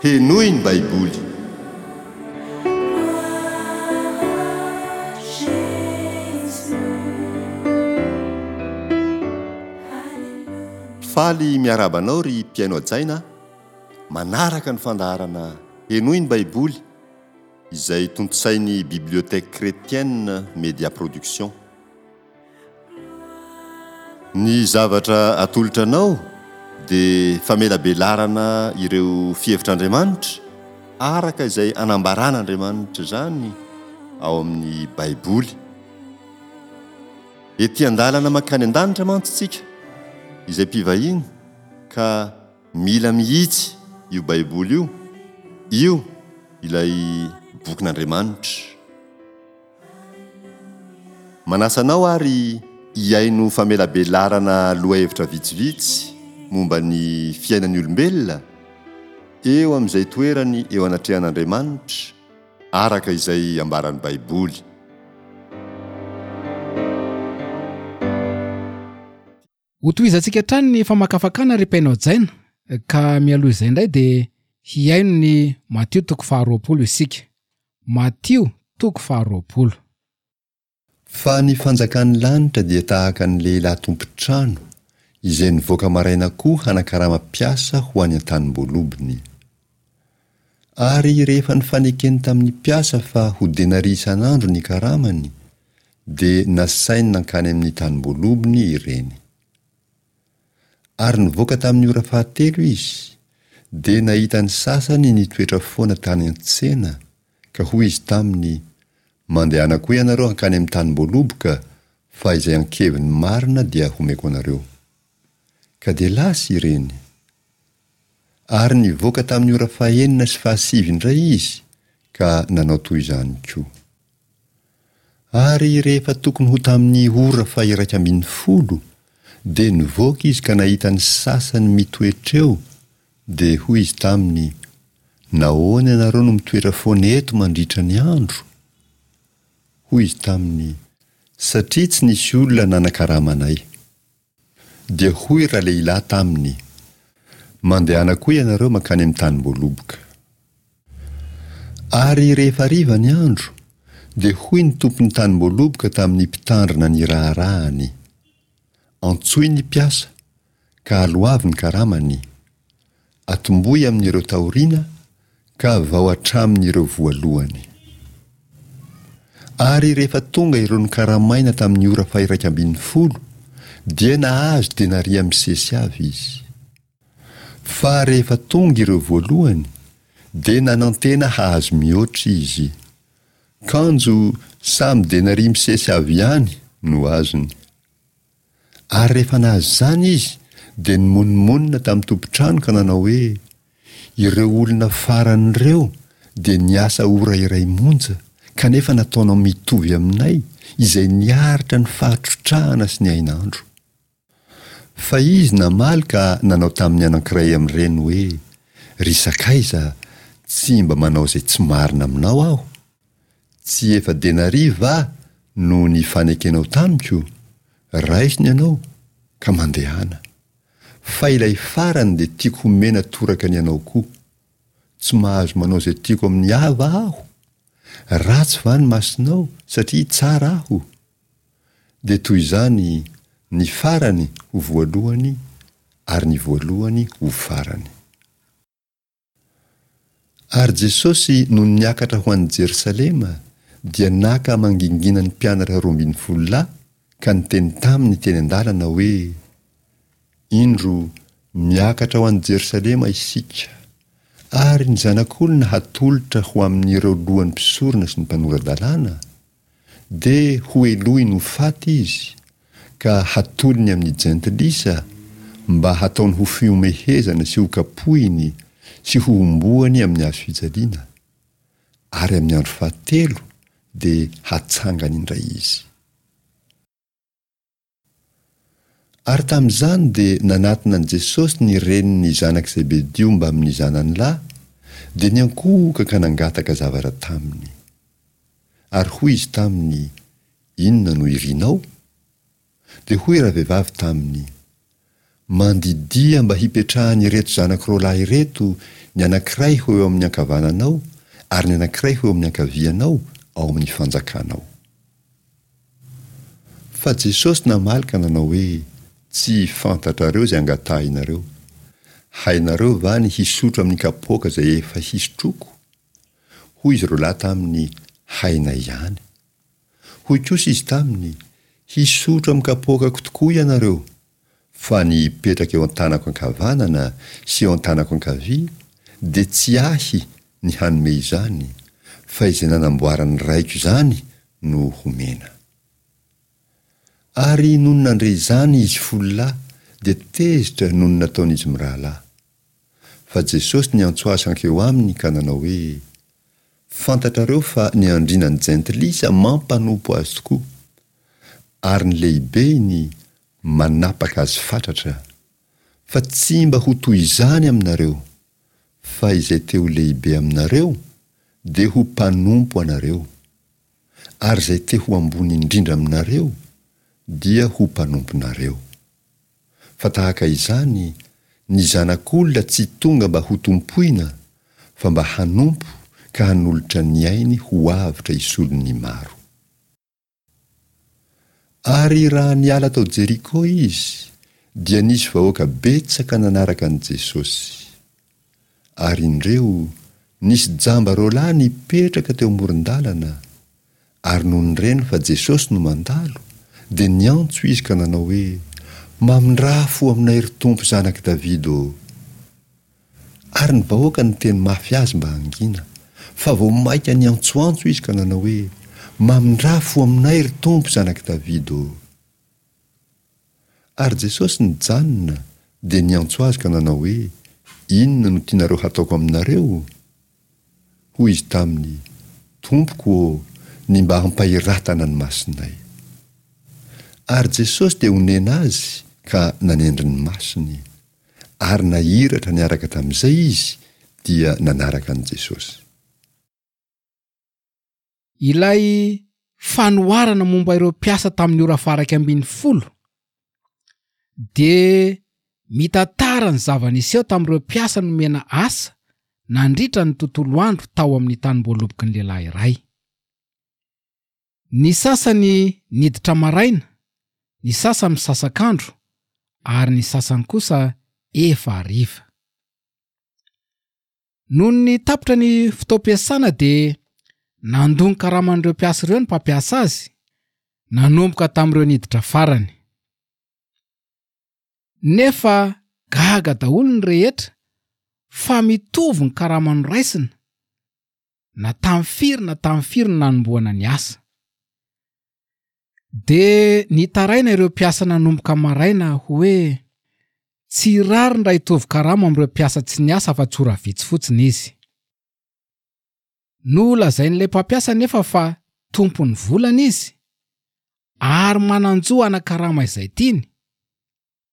Henoy ny Baiboly. Faly miarahaba anao ry mpihaino hajaina a! Manaraka ny fandaharana Henoy ny Baiboly izay tontosain'ny Bibliothèque Chrétienne Média Production. Ny zavatra atolotra anao dia famelabelarana ireo fihevitr'Andriamanitra araka izay anambaran'Andriamanitra izany ao amin'ny Baiboly. Ety an-dalana mankany an-danitra mantsy isika izay mpivahiny ka mila mihitsy io Baiboly io, io ilay bokin'Andriamanitra. Manasa anao ary hihaino famelabelarana lohahevitra vitsivitsy momba ny fiainan'ny olombelona eo amin'izay toerany eo anatrehan'Andriamanitra araka izay ambaran'ny Baiboly. Hotohizantsika hatrany ny famakafakana ry mpihaino hajaina ka mialoha izay indray dia hihaino ny Matio toko faharoapolo isika. Matio toko faharoapolo. Fa ny fanjakan'ny lanitra dia tahaka ny lehilahy tompon-trano izay nivoaka maraina koa hanakarama mpiasa ho any an-tanim-boalobony. Ary rehefa nifanekeny tamin'ny mpiasa fa ho denaria isan'andro ny karamany, dia nasainy nankany amin'ny tanim-boalobony ireny. Ary nivoaka tamin'ny ora fahatelo izy, dia nahita ny sasany nitoetra foana tany an-tsena, ka hoy izy taminy, Mandehana koa ianareo hankany amin'ny tanim-boaloboka, fa izay ankeviny marina dia homeko anareo. Ka dia lasa ireny. Ary nivoaka tamin'ny ora fahenina sy fahasivy indray izy ka nanao toy izany koa. Ary rehefa tokony ho tamin'ny ora faha-11 dia nivoaka izy ka nahita ny sasany mitoetra eo, dia hoy izy taminy, Nahoana ianareo no mitoetra foana eto mandritra ny andro? Hoy izy taminy, Satria tsy nisy olona nanakarama anay. Dia hoy ralehilahy taminy, Mandehana koa ianareo mankany amin'ny tanim-boaloboka. Ary rehefa hariva ny andro, dia hoy ny tompon'ny tanim-boaloboka tamin'ny mpitandrina ny raharahany, Antsoy ny mpiasa, ka aloavy ny karamany. Atombohy amin'ireo taoriana ka vao hatramin'ireo voalohany. Ary rehefa tonga ireo nokaramaina tamin'ny ora faha-11, dia nahazo denaria misesy avy izy. Fa rehefa tonga ireo voalohany, dia nanantena hahazo mihoatra izy. Kanjo samy denaria misesy avy ihany no azony. Ary rehefa nahazo izany izy, dia nimonomonona tamin'ny tompon-trano ka nanao hoe, Ireo olona farany ireo dia niasa ora iray monja, kanefa nataonao mitovy aminay, izay niaritra ny fahatrotrahana sy ny hainandro. Fa izy namaly ka nanao tamin'ny anankiray amin'ireny hoe, Ry sakaiza, tsy mba manao izay tsy marina aminao aho. Tsy efa denaria va no nifanekenao tamiko? Raiso ny anao, ka mandehana. Fa ilay farany dia tiako homena toraka ny anao koa. Tsy mahazo manao izay tiako amin'ny ahy va aho? Ratsy va ny masonao satria tsara aho? Dia toy izany ny farany ho voalohany ary ny voalohany ho farany. Ary Jesosy nony niakatra ho any Jerosalema dia naka mangingina ny mpianatra 12 lahy ka niteny taminy teny an-dalana hoe, Indro, miakatra ho any Jerosalema isika, ary ny Zanak'olona hatolotra ho amin'ireo lohan'ny mpisorona sy ny mpanora-dalàna, Dia hohelohiny ho faty izy, ka hatolony amin'ny jentilisa, mba hataony ho fihomehezana sy hokapohiny sy hohomboany amin'ny hazo fijaliana, ary amin'ny andro fahatelo dia hatsangany indray izy. Ary tamin'izany dia nanatona an'i Jesosy ny renin'ny zanak'i Zebedio mbamin'ny zanany lahy, dia niankohoka ka nangataka zavatra taminy. Ary hoy izy taminy, Inona no irinao? Dia hoy ravehivavy taminy, Mandidia mba hipetrahan'ireto zanako roalahy ireto ny anankiray ho eo amin'ny ankavananao ary ny anankiray ho eo amin'ny ankavianao ao amin'ny fanjakanao. Fa Jesosy namaly ka nanao hoe, Tsy fantatrareo izay angatahinareo. Hainareo va ny hisotro amin'ny kapoaka izay efa hisotroako? Hoy izy roalahy taminy, Hainay ihany. Hoy kosa izy taminy, Hisotro amin'ny kapoakako tokoa ianareo, fa ny hipetraka eo an-tanako ankavanana sy eo an-tanako ankavia dia tsy ahy ny hanome izany, fa izay nanamboaran'ny Raiko izany no homena. Ary nony nandre izany izy fololahy dia tezitra noho ny nataon'izy mirahalahy. Fa Jesosy niantso azy hankeo aminy ka nanao hoe, Fantatrareo fa ny andriana ny jentilisa mampanompo azy tokoa, ary ny lehibeny manapaka azy fatratra. Fa tsy mba ho toy izany aminareo, fa izay te ho lehibe aminareo dia ho mpanompo anareo, ary izay te ho ambony indrindra aminareo dia ho mpanomponareo. Fa tahaka izany, ny Zanak'olona tsy tonga mba hotompoina, fa mba hanompo ka hanolotra ny ainy ho avotra hisolo ny maro. Ary raha niala tao Jeriko izy, dia nisy vahoaka betsaka nanaraka an'i Jesosy. Ary indreo, nisy jamba roalahy nipetraka teo amoron-dalana, Ary nony reny fa Jesosy no mandalo, dia niantso izy ka nanao hoe, Mamindrà fo aminay, ry Tompo Zanak'i Davida ô! Ary ny vahoaka niteny mafy azy mba hangina, fa vao mainka niantsoantso izy ka nanao hoe, Mamindrà fo aminay, ry Tompo Zanak'i Davida ô! Ary Jesosy nijanona, dia niantso azy ka nanao hoe, Inona no tianareo hataoko aminareo? Hoy izy taminy, Tompoko ô, ny mba hampahiratana ny masonay. Ary Jesosy dia onena azy ka nanendry ny masony. Ary nahiratra niaraka tamin'izay izy dia nanaraka an'i Jesosy. Ilay fanoharana momba ireo mpiasa tamin'ny ora faha 11 dia mitantara ny zava-niseho tamin'ireo mpiasa nomena asa nandritra ny tontolo andro tao amin'ny tanimboaloboky ny lehilahy iray. Ny sasany niditra maraina, ny sasany misasak'andro ary ny sasany kosa efa hariva. Nony tapitra ny fotoam-piasana dia nandoa ny karaman'ireo mpiasa ireo ny mpampiasa azy, nanomboka tamin'ireo niditra farany. Nefa gaga daholo ny rehetra fa mitovy ny karama noraisina na tamin'ny firy na tamin'ny firy no nanombohana ny asa. Dia nitaraina ireo mpiasa nanomboka maraina hoe tsy rariny raha hitovy karama amin'ireo mpiasa tsy niasa afa-tsy ora vitsy fotsiny izy. Nolazain'ilay mpampiasa anefa fa tompon'ny volany izy ary manan-jo hanakarama izay tiany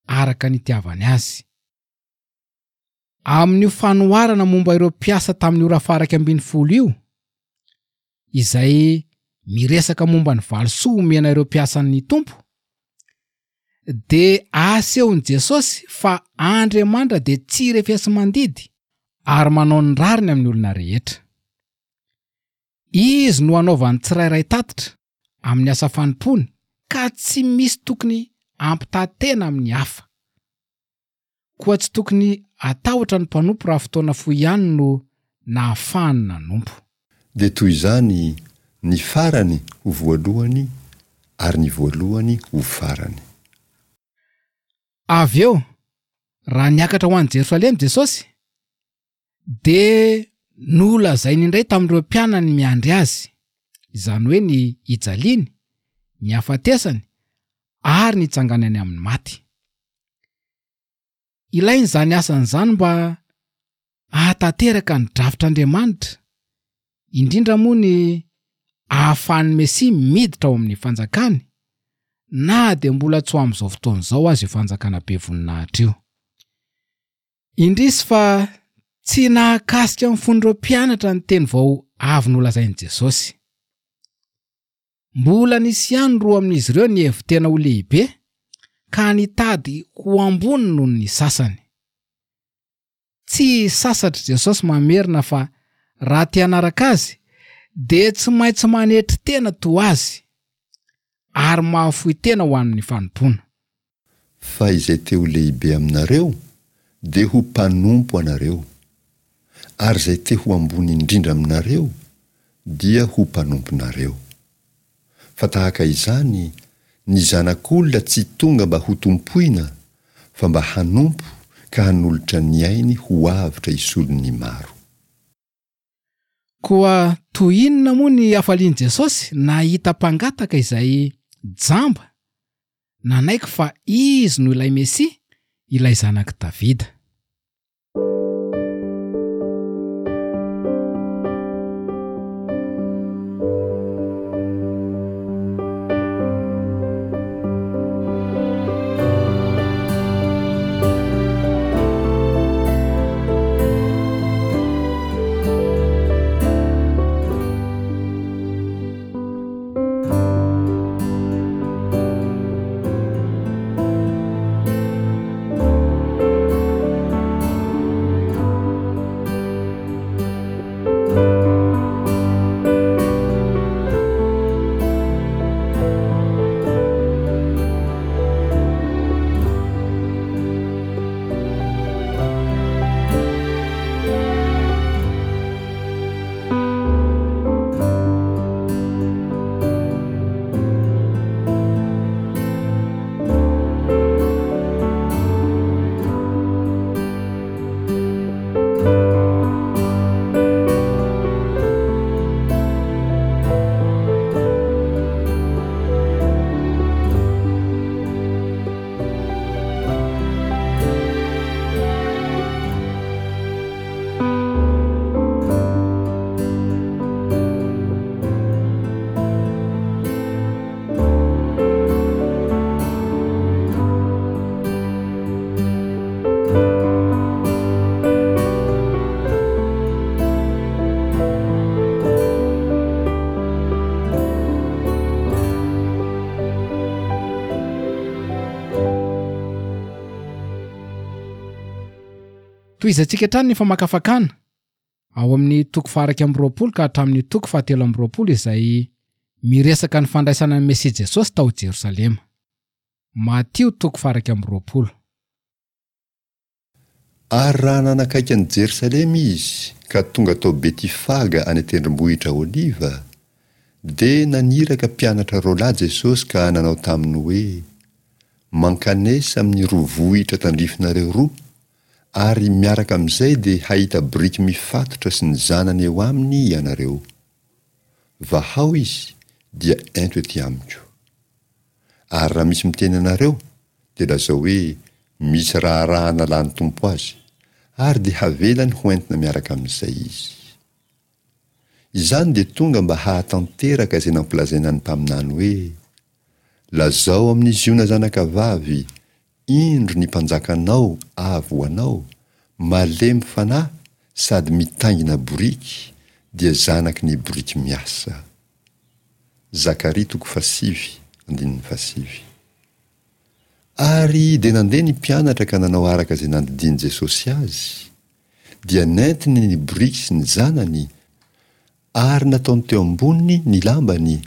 araka ny itiavany azy. Amin'io fanoharana momba ireo mpiasa tamin'ny ora faha 11 io, izay miresaka momba ny valisoa omena ireo mpiasan'ny Tompo, dia asehon'i Jesosy fa Andriamanitra dia tsy refesi-mandidy ary manao ny rariny amin'ny olona rehetra. Izy no anaovan'ny tsirairay tatitra amin'ny asa fanompoany ka tsy misy tokony hampitaha tena amin'ny hafa. Koa tsy tokony hatahotra ny mpanompo raha fotoana fohy ihany no nahafahany nanompo. Dia toy izany ny farany ho voalohany ary ny voalohany ho farany. Avy eo, raha niakatra ho any Jerosalema Jesosy, dia nolazainy indray tamin'ireo mpianany miandry azy, izany hoe ny hijaliany, ny hafatesany ary ny hitsanganany amin'ny maty. Ilaina izany asany izany mba hahatanteraka ny drafitr'Andriamanitra, indrindra moa ny ahafahan'ny Mesia miditra ao amin'ny fanjakany, na dia mbola tsy ho amin'izao fotoana izao aza io fanjakana be voninahitra io. Indrisy fa tsy nahakasika ny fon'ireo mpianatra ny teny vao avy nolazain'i Jesosy. Mbola nisy ihany roa amin'izy ireo nihevi-tena ho lehibe, ka nitady ho ambony noho ny sasany. Tsy sasatr'i Jesosy mamerina fa raha te hanaraka azy dia tsy maintsy manetry tena toa azy ary mahafoy tena ho an'ny fanompoana. Fa izay te ho lehibe aminareo dia ho mpanompo anareo, ary izay te ho ambony indrindra aminareo dia ho mpanomponareo. Fa tahaka izany, ny Zanak'olona tsy tonga mba hotompoina, fa mba hanompo ka hanolotra ny ainy ho avotra hisolo ny maro. Koa toy inona moa ny hafalian'i Jesosy nahita mpangataka izay jamba nanaiky fa Izy no ilay Mesia, ilay Zanak'i Davida. Tohizantsika hatrany ny famakafakana ao amin'ny toko faha-21 ka hatramin'ny toko faha-23 izay miresaka ny fandraisana ny Mesia Jesosy tao Jerosalema. Matio toko faha-21. Ary raha nanakaiky an'i Jerosalema izy ka tonga tao Betifaga any an-tendrombohitra Oliva, dia naniraka mpianatra roalahy Jesosy ka nanao taminy hoe, Mankanesa amin'ny roa vohitra tandrifinareo roa, ary miaraka amin'izay dia hahita boriky mifatotra sy ny zanany eo aminy ianareo. Vahao izy, dia ento ety amiko. Ary raha misy miteny anareo, dia lazao hoe, Misy raharaha nalan'ny Tompo azy, ary dia havelany ho entina miaraka amin'izay izy. Izany dia tonga mba hahatanteraka izay nampilazaina ny mpaminany hoe, Lazao amin'i Ziona zanakavavy, Indro ny mpanjakanao avy ho anao, malemy fanahy sady mitaingina boriky, dia zanaky ny boriky miasa. Zakaria toko fahasivy, andininy fahasivy. Ary dia nandeha ny mpianatra ka nanao araka izay nandidian'i Jesosy azy, dia nentiny ny boriky sy ny zanany, ary nataony teo amboniny ny lambany,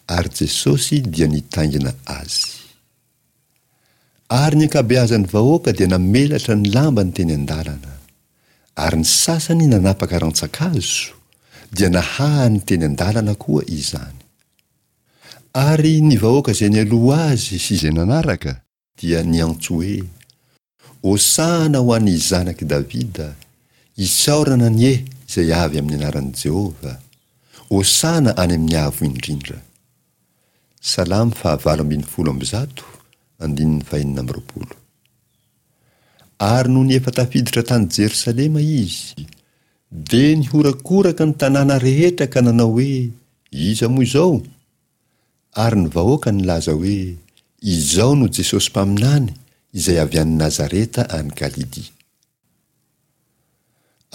ary Jesosy dia nitaingina azy. Ary ny ankabeazan'ny vahoaka dia namelatra ny lambany teny an-dalana. Ary ny sasany nanapaka rantsan-kazo, dia nahahany teny an-dalana koa izany. Ary ny vahoaka izay nialoha azy sy izay nanaraka, dia niantso hoe, Hosana ho an'ny Zanak'i Davida, isaorana anie izay avy amin'ny anaran'i Jehovah, Hosana any amin'ny avo indrindra. Salamo fahavalo 118, andininy fahenina amby roapolo. Ary nony efa tafiditra tany Jerosalema izy, dia nihorakoraka ny tanàna rehetra ka nanao hoe, Iza moa izao? Ary ny vahoaka nilaza hoe, Izao no Jesosy mpaminany izay avy any Nazareta any Galilia.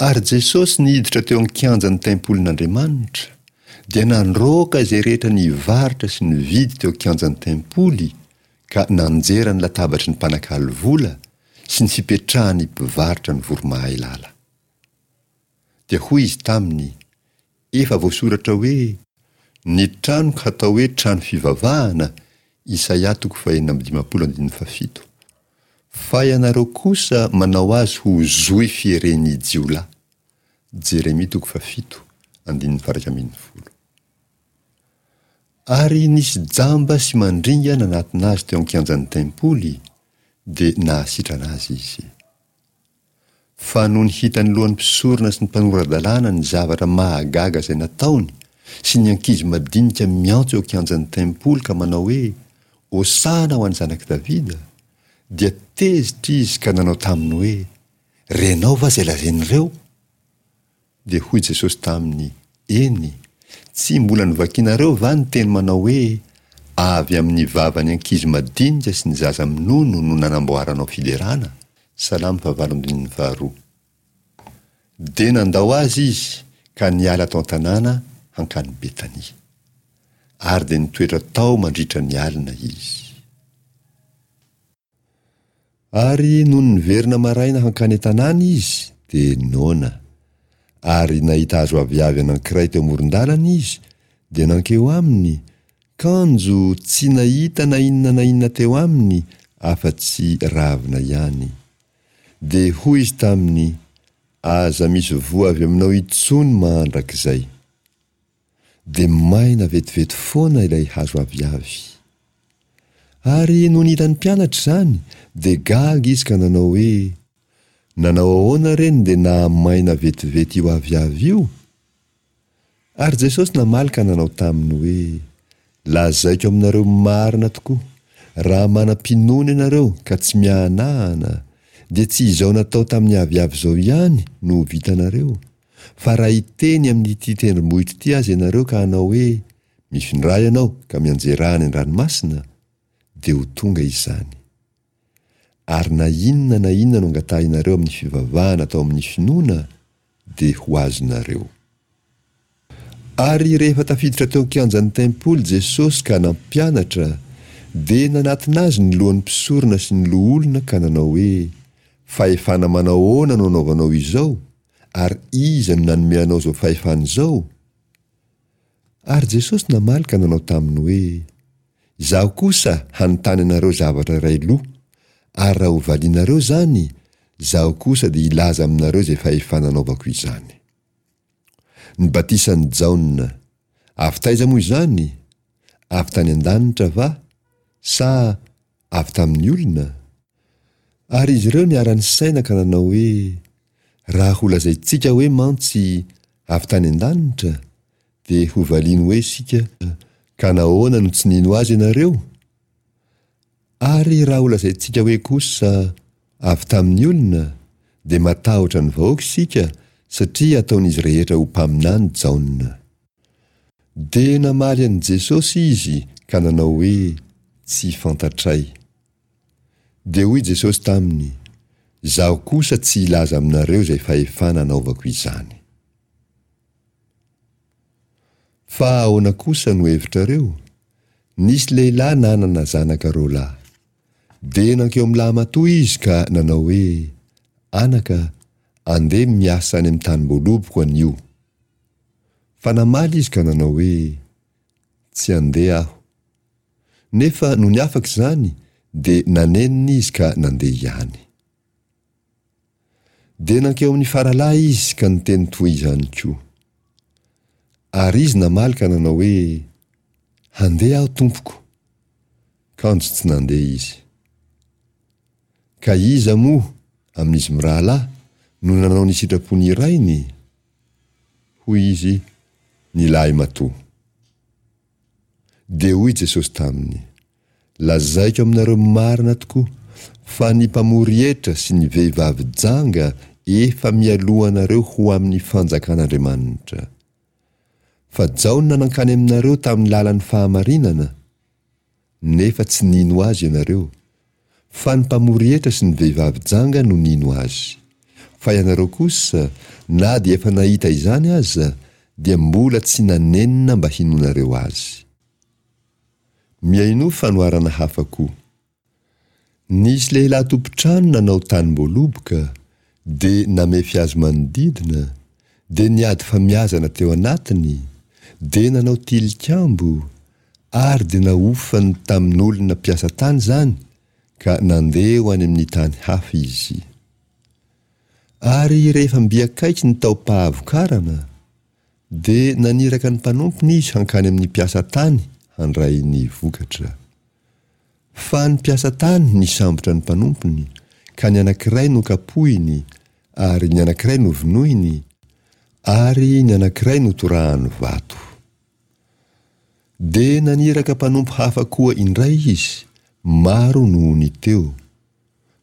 Ary Jesosy niditra teo an-kianjan'ny tempolin'Andriamanitra, dia nandroaka izay rehetra nivarotra sy nividy teo an-kianjan'ny tempoly. ka nanjera ny latabatry ny mpanakalo vola sy ny fipetrahan'ny mpivarotra ny voromahailala. Dia hoy izy taminy, Efa voasoratra hoe, Ny tranoko hatao hoe trano fivavahana, Isaia toko fahenina amby dimampolo andininy fahafito. Fa ianareo kosa manao azy ho zohy fieren'ny jiolahy. Jeremia toko fahafito andininy faha-iraika ambinifolo. Ary nisy jamba sy mandringa nanatona azy teo an-kianjan'ny tempoly, dia nahasitrana azy izy. Fa nony hitan'ny lohan'ny mpisorona sy ny mpanora-dalàna ny zavatra mahagaga izay nataony, sy ny ankizy madinika miantso eo an-kianjan'ny tempoly ka manao hoe, Hosana ho an'ny Zanak'i Davida, dia tezitra izy ka nanao taminy hoe, Renao va izay lazain'ireo? Dia hoy Jesosy taminy, Eny, tsy mbola novakinareo va ny teny manao hoe, Avy amin'ny vavan'ny ankizy madinika sy ny zaza minono no nanamboaranao fiderana? Salamo fahavalo andininy faharoa. Dia nandao azy izy ka niala tao an-tanàna hankany Betania. Ary dia nitoetra tao mandritra ny alina izy. Ary nony niverina maraina hankany an-tanàna izy, dia noana. Ary nahita hazo aviavy anankiray teo amoron-dalana izy, dia nankeo aminy, kanjo tsy nahita na inona na inona teo aminy afa-tsy ravina ihany. Dia hoy izy taminy, Aza misy voa avy aminao intsony mandrakizay. Dia maina vetivety foana ilay hazo aviavy. Ary nony hitan'ny mpianatra izany, dia gaga izy ka nanao hoe, Nanao ahoana re no dia nahamaina vetivety io aviavy io? Ary Jesosy namaly ka nanao taminy hoe, Lazaiko aminareo marina tokoa, raha manam-pinoana ianareo ka tsy miahanahana, dia tsy izao natao tamin'ny aviavy izao ihany no ho vitanareo, Fa raha hiteny amin'ity tendrombohitra ity aza ianareo ka hanao hoe, Mifindrà ianao ka mianjerà any an-dranomasina, dia ho tonga izany. Ary na inona na inona no angatahinareo amin'ny fivavahana atao amin'ny finoana, dia ho azonareo. Ary rehefa tafiditra teo an-kianjan'ny tempoly Jesosy ka nampianatra, dia nanatona azy ny lohan'ny mpisorona sy ny loholona ka nanao hoe, Fahefana manao ahoana no anaovanao izao, ary iza no nanome anao izao fahefana izao? Ary Jesosy namaly ka nanao taminy hoe, Izaho kosa hanontany anareo zavatra iray loha, ary raha hovalianareo izany, izaho kosa dia hilaza aminareo izay fahefana anaovako izany. Ny batisan'i Jaona, avy taiza moa izany? Avy tany an-danitra va, sa avy tamin'ny olona? Ary izy ireo niara-nisaina ka nanao hoe, Raha holazaintsika hoe mantsy avy tany an-danitra, dia hovaliany hoe isika, Ka nahoana no tsy nino azy ianareo? Ary raha holazaintsika hoe kosa, Avy tamin'ny olona, dia matahotra ny vahoaka isika, satria ataon'izy rehetra ho mpaminany Jaona. Dia namaly an'i Jesosy izy ka nanao hoe, Tsy fantatray. Dia hoy Jesosy taminy, Izaho kosa tsy hilaza aminareo izay fahefana anaovako izany. Fa ahoana kosa no hevitrareo? Nisy lehilahy nanana zanaka roalahy. Dia nankeo amin'ny lahimatoa izy ka nanao hoe, Anaka, andeha miasa any amin'ny tanim-boaloboko anio. Fa namaly izy ka nanao hoe, Tsy handeha aho. Nefa nony afaka izany dia nanenina izy ka nandeha ihany. Dia nankeo amin'ny faralahy izy ka niteny toy izany koa. Ary izy namaly ka nanao hoe, Handeha aho, tompoko. Kanjo tsy nandeha izy. Ka iza moa amin'izy mirahalahy no nanao ny sitrapon'ny rainy? Hoy izy, Ny lahimatoa. Dia hoy Jesosy taminy, Lazaiko aminareo marina tokoa, fa ny mpamory hetra sy ny vehivavy janga efa mialoha anareo ho amin'ny fanjakan'Andriamanitra. Fa Jaona nankany aminareo tamin'ny lalan'ny fahamarinana, nefa tsy nino azy ianareo, fa ny mpamory hetra sy ny vehivavy janga no nino azy. Fa ianareo kosa, na dia efa nahita izany aza, dia mbola tsy nanenina mba hinoanareo azy. Mihainoa fanoharana hafa koa. Nisy lehilahy tompon-trano nanao tanim-boaloboka, dia namefy azy manodidina, dia niady famiazana teo anatiny, dia nanao tilikambo, ary dia nahofany tamin'olona mpiasa tany izany, ka nandeha ho any amin'ny tany hafa izy. Ary rehefa mby akaiky ny taom-pahavokarana, dia naniraka ny mpanompony izy hankany amin'ny mpiasa tany handray ny vokatra. Fa ny mpiasa tany nisambotra ny mpanompony, ka ny anankiray nokapohiny, ary ny anankiray novonoiny, ary ny anankiray notorahany vato. Dia naniraka mpanompo hafa koa indray izy, maro noho ny teo,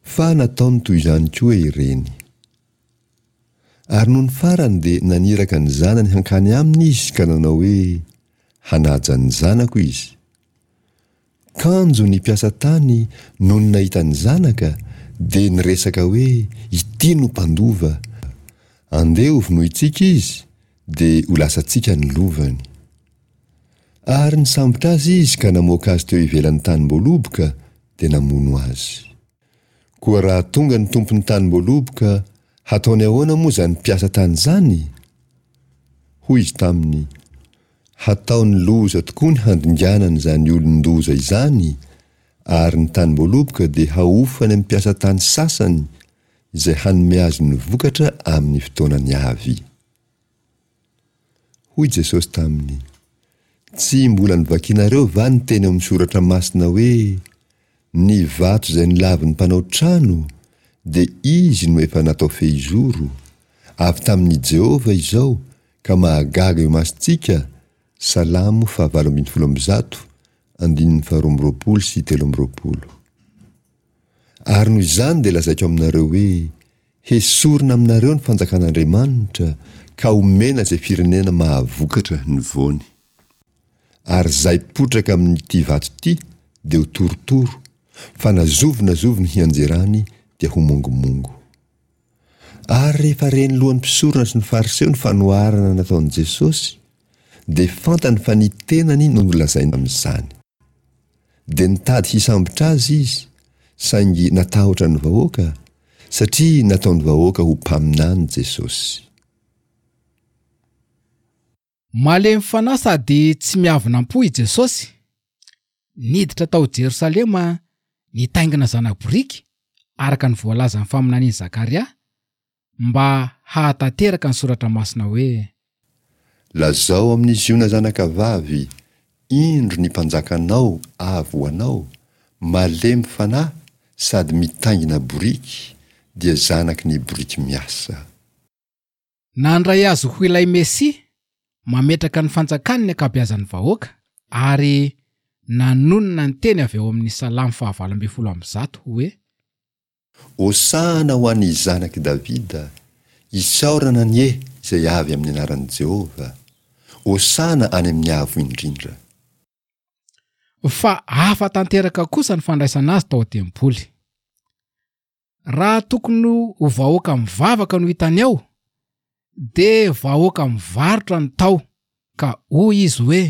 fa nataony toy izany koa ireny. Ary nony farany dia naniraka ny zanany hankany aminy izy ka nanao hoe, Hanaja ny zanako izy. Kanjo ny mpiasa tany nony nahita ny zanaka dia niresaka hoe, Ity no mpandova. Andeha hovonointsika izy dia ho lasantsika ny lovany. Ary nisambotra azy izy ka namoaka azy teo ivelan'ny tanim-boaloboka dia namono azy. Koa raha tonga ny tompon'ny tanim-boaloboka, hataony ahoana moa izany mpiasa tany izany? Hoy izy taminy, Hataony loza tokoa ny handinganany izany olon-doza izany, ary ny tanim-boaloboka dia hahofany amin'ny mpiasa tany sasany izay hanome azy ny vokatra amin'ny fotoanany avy. Hoy Jesosy taminy, Tsy mbola novakinareo va ny teny ao amin'ny Soratra Masina hoe, Ny vato izay nolavin'ny mpanao trano, dia izy no efa natao fehizoro, avy tamin'i Jehovah izao, ka mahagaga eo imasontsika, Salamo fahavalo 118, andininy faharoa amby roapolo sy 23. Ary noho izany dia lazaiko aminareo hoe, Hesorina aminareo ny fanjakan'Andriamanitra ka homena izay firenena mahavokatra ny voany. Ary izay potraka amin'ity vato ity dia ho torotoro, fa na zovy na zovy ny hianjerany dia ho mongomongo. Ary rehefa ren'ny lohan'ny mpisorona sy ny Fariseo ny fanoharana nataon'i Jesosy, dia fantany fa ny tenany no nolazainy amin'izany. Dia nitady hisambotra azy izy, saingy natahotra ny vahoaka, satria nataon'ny vahoaka ho mpaminany Jesosy. Malemy fanahy sady tsy miavona am-po i Jesosy. Niditra tao Jerosalema nitaingina zana-boriky, araka ny voalazan'ny faminanian'i Zakaria, mba hahatanteraka ny Soratra Masina hoe. Lazao amin'i Ziona zanakavavy, Indro ny mpanjakanao avy ho anao, malemy fanahy sady mitaingina boriky, dia zanaky ny boriky miasa. Nandray azy ho ilay Mesia mametraka ny fanjakany ny ankabeazan'ny vahoaka ary nanonona ny teny avy ao amin'ny Salamo fahavalo 118 hoe. Hosana ho an'ny Zanak'i Davida, isaorana anie izay avy amin'ny anaran'i Jehovah, Hosana any amin'ny avo indrindra. Fa hafa tanteraka kosa ny fandraisana azy tao an-tempoly. Raha tokony ho vahoaka mivavaka no hitany ao, dia vahoaka mivarotra no tao, ka hoy izy hoe.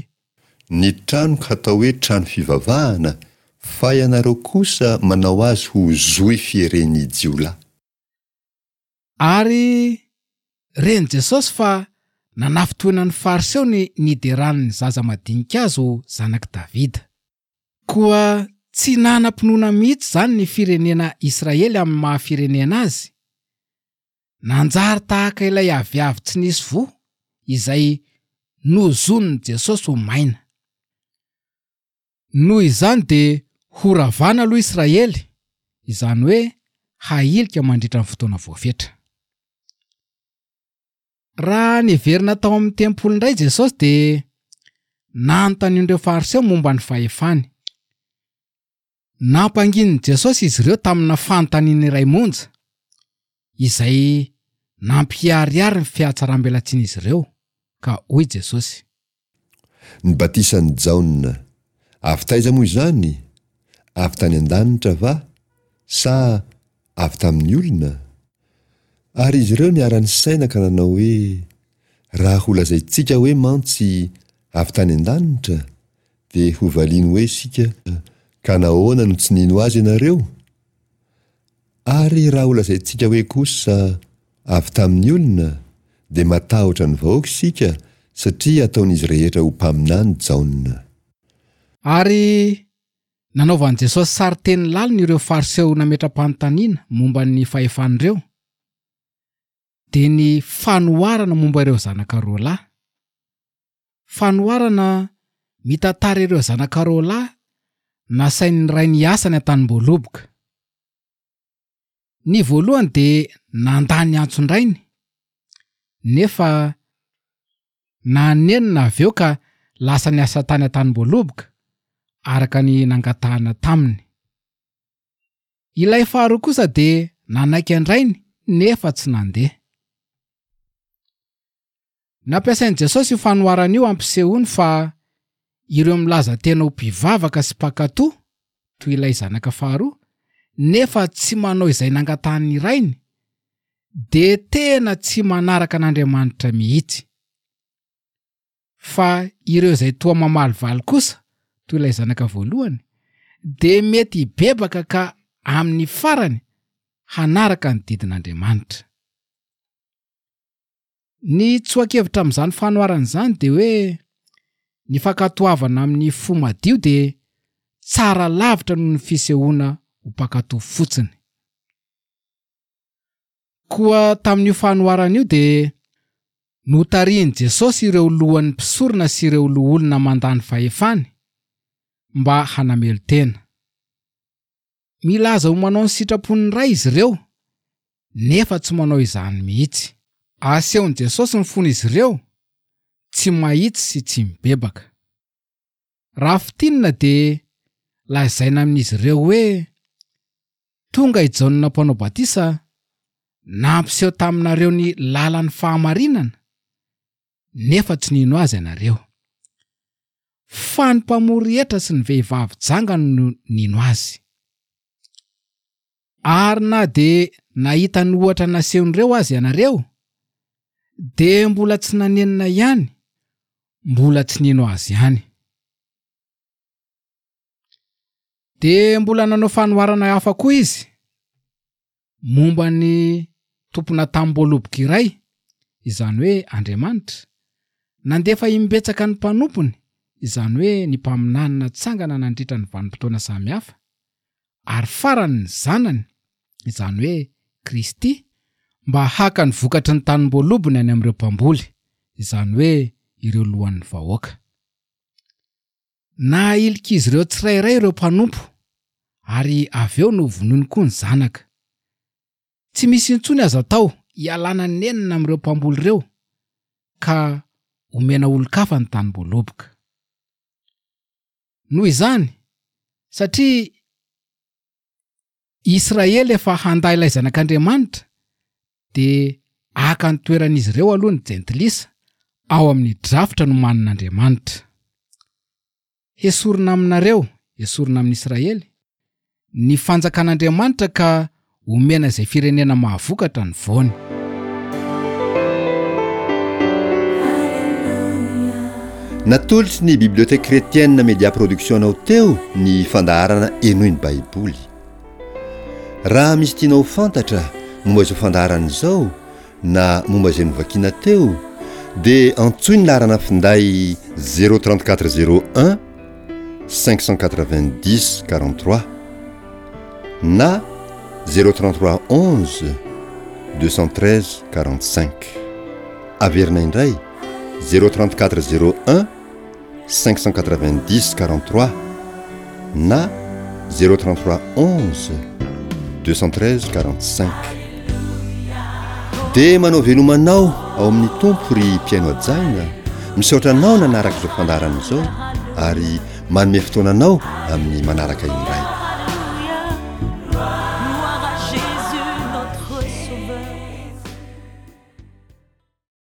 Ny tranoko hatao hoe trano fivavahana, fa ianareo kosa manao azy ho zohy fieren'ny jiolahy. Ary ren'i Jesosy fa nanafintohina ny Fariseo ny niderany ny zaza madinika azy ho zanak'i Davida. Koa tsy nanam-pinoana mihitsy izany ny firenena Israely amin'ny maha firenena azy. Nanjary tahaka ilay aviavy tsy nisy voa izay nozonin'i Jesosy ho maina. Noho izany dia horavana aloha Israely, izany hoe hahilika mandritra ny fotoana voafetra. Raha niverina tao amin'ny tempoly indray Jesosy dia nanontanian'ireo Fariseo momba ny fahefany. Nampanginin'i Jesosy izy ireo tamina fanontaniana iray monja, izay nampiharihary ny fihatsaram-belatsian'izy ireo, ka hoy Jesosy. Ny batisan'i Jaona, avy taiza moa izany? Avy tany an-danitra va, sa avy tamin'ny olona? Ary izy ireo niara-nisaina ka nanao hoe, Raha holazaintsika hoe mantsy, Avy tany an-danitra, dia hovaliany hoe isika, Ka nahoana no tsy nino azy ianareo? Ary raha holazaintsika hoe kosa, Avy tamin'ny olona, dia matahotra ny vahoaka isika, satria ataon'izy rehetra ho mpaminany Jaona. Ary nanaovan'i Jesosy sarin-teny lalina ireo Fariseo nametra-panontaniana momba ny fahefan'ireo, dia ny fanoharana momba ireo zanaka roalahy. Fanoharana mitantara ireo zanaka roalahy nasain'ny rainy hiasa any an-tanimboaloboka. Ny voalohany dia nandà ny antson-drainy, nefa nanenina avy eo ka lasa niasa tany an-tanimboaloboka, araka ny nangatahana taminy. Ilay faharoa kosa dia nanaiky an-drainy nefa tsy nandeha. Nampiasain'i Jesosy io fanoharana io hampisehoany fa ireo milaza tena ho mpivavaka sy mpankatò, toy ilay zanaka faharoa, nefa tsy manao izay nangatahan'ny rainy, dia tena tsy manaraka an'Andriamanitra mihitsy. Fa ireo izay toa mamalivaly kosa, toy ilay zanaka voalohany, dia mety hibebaka ka amin'ny farany hanaraka ny didin'Andriamanitra. Ny tsoa-kevitra amin'izany fanoharana izany dia hoe ny fankatoavana amin'ny fo madio dia tsara lavitra noho ny fisehoana ho mpankatò fotsiny. Koa tamin'io fanoharana io dia notarihin'i Jesosy ireo lohan'ny mpisorona sy ireo loholona mandà ny fahefany mba hanamelo-tena. Milaza ho manao ny sitrapon'ny Ray izy ireo, nefa tsy manao izany mihitsy. Asehon'i Jesosy ny fon'izy ireo, tsy mahitsy sy tsy mibebaka. Raha fintinina dia lazaina amin'izy ireo hoe, Tonga i Jaona Mpanao Batisa nampiseho taminareo ny lalan'ny fahamarinana, nefa tsy nino azy ianareo. Fa ny mpamory hetra sy ny vehivavy janga no nino azy. Ary na dia nahita ny ohatra nasehon'ireo aza ianareo, dia mbola tsy nanenina ihany, mbola tsy nino azy ihany. Dia mbola nanao fanoharana hafa koa izy momba ny tompona tamim-boaloboka iray, izany hoe Andriamanitra, nandefa imbetsaka ny mpanompony, izany hoe ny mpaminany natsangana nandritra ny vanim-potoana samihafa, ary farany ny Zanany, izany hoe Kristy, mba haka ny vokatry ny tanim-boalobony any amin'ireo mpamboly, izany hoe ireo lohan'ny vahoaka. Nahilik'izy ireo tsirairay ireo mpanompo, ary avy eo novonoiny koa ny zanaka. Tsy misy intsony azo atao hialana nenina amin'ireo mpamboly ireo, ka omena olon-kafa ny tanimboaloboka. Noho izany, satria Israely efa handà ilay Zanak'Andriamanitra, dia haka ny toeran'izy ireo aloha ny Jentilisa ao amin'ny drafitra nomanin'Andriamanitra. Hesorina aminareo, hesorina amin'Israely, ny fanjakan'Andriamanitra ka omena izay firenena mahavokatra ny voany. Natolotry ny Bibliothèque Chrétienne Media Production anao teo ny fandaharana Henoy ny Baiboly. Raha misy tianao ho fantatra momba izao fandaharana izao na momba izay novakiana teo dia antsoy ny laharana finday 034 01 590 43 na 033 11 213 45. Averina indray 034 01 590 43 na 033 11 213 45. Dia manao veloma anao ao amin'ny Tompo ry mpihaino hajaina, misaotra anao nanaraka izao fandaharana izao ary manome fotoana anao amin'ny manaraka indray.